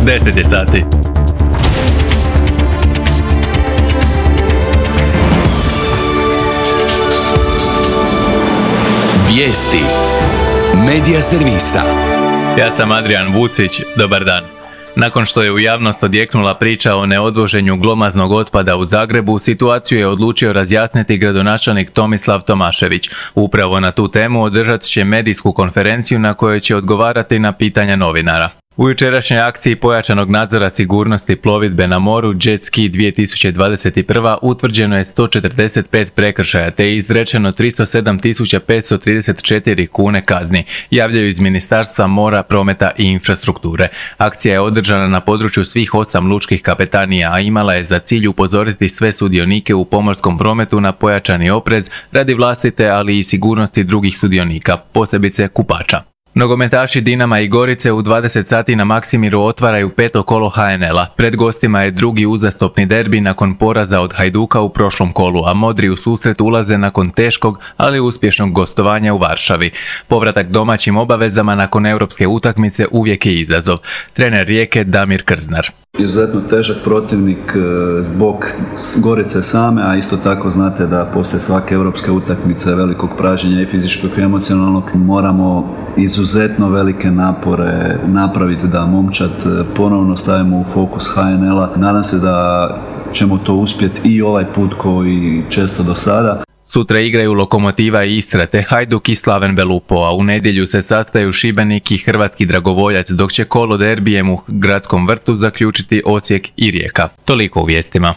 10 je sati. Vijesti Medija servisa. Ja sam Adrian Vucić, dobar dan. Nakon što je u javnost odjeknula priča o neodvoženju glomaznog otpada u Zagrebu, situaciju je odlučio razjasniti gradonačelnik Tomislav Tomašević. Upravo na tu temu održat će medijsku konferenciju na kojoj će odgovarati na pitanja novinara. U jučerašnjoj akciji pojačanog nadzora sigurnosti plovidbe na moru Jet Ski 2021 utvrđeno je 145 prekršaja te je izrečeno 307.534 kune kazni, javljaju iz Ministarstva mora, prometa i infrastrukture. Akcija je održana na području svih 8 lučkih kapetanija, a imala je za cilj upozoriti sve sudionike u pomorskom prometu na pojačani oprez radi vlastite, ali i sigurnosti drugih sudionika, posebice kupača. Nogometaši Dinama i Gorice u 20 sati na Maksimiru otvaraju 5. kolo HNL-a. Pred gostima je drugi uzastopni derbi nakon poraza od Hajduka u prošlom kolu, a modri u susret ulaze nakon teškog, ali uspješnog gostovanja u Varšavi. Povratak domaćim obavezama nakon europske utakmice uvijek je izazov. Trener Rijeke Damir Krznar. Izuzetno težak protivnik zbog Gorice same, a isto tako znate da poslije svake europske utakmice velikog pražnjenja i fizičkog i emocionalnog moramo izuzetno velike napore napraviti da momčad ponovno stavimo u fokus HNL-a. Nadam se da ćemo to uspjeti i ovaj put koji često do sada. Sutra igraju Lokomotiva i Istra te Hajduk i Slaven Belupo, a u nedjelju se sastaju Šibenik i Hrvatski Dragovoljac, dok će kolo derbijem u Gradskom vrtu zaključiti Osijek i Rijeka. Toliko u vijestima.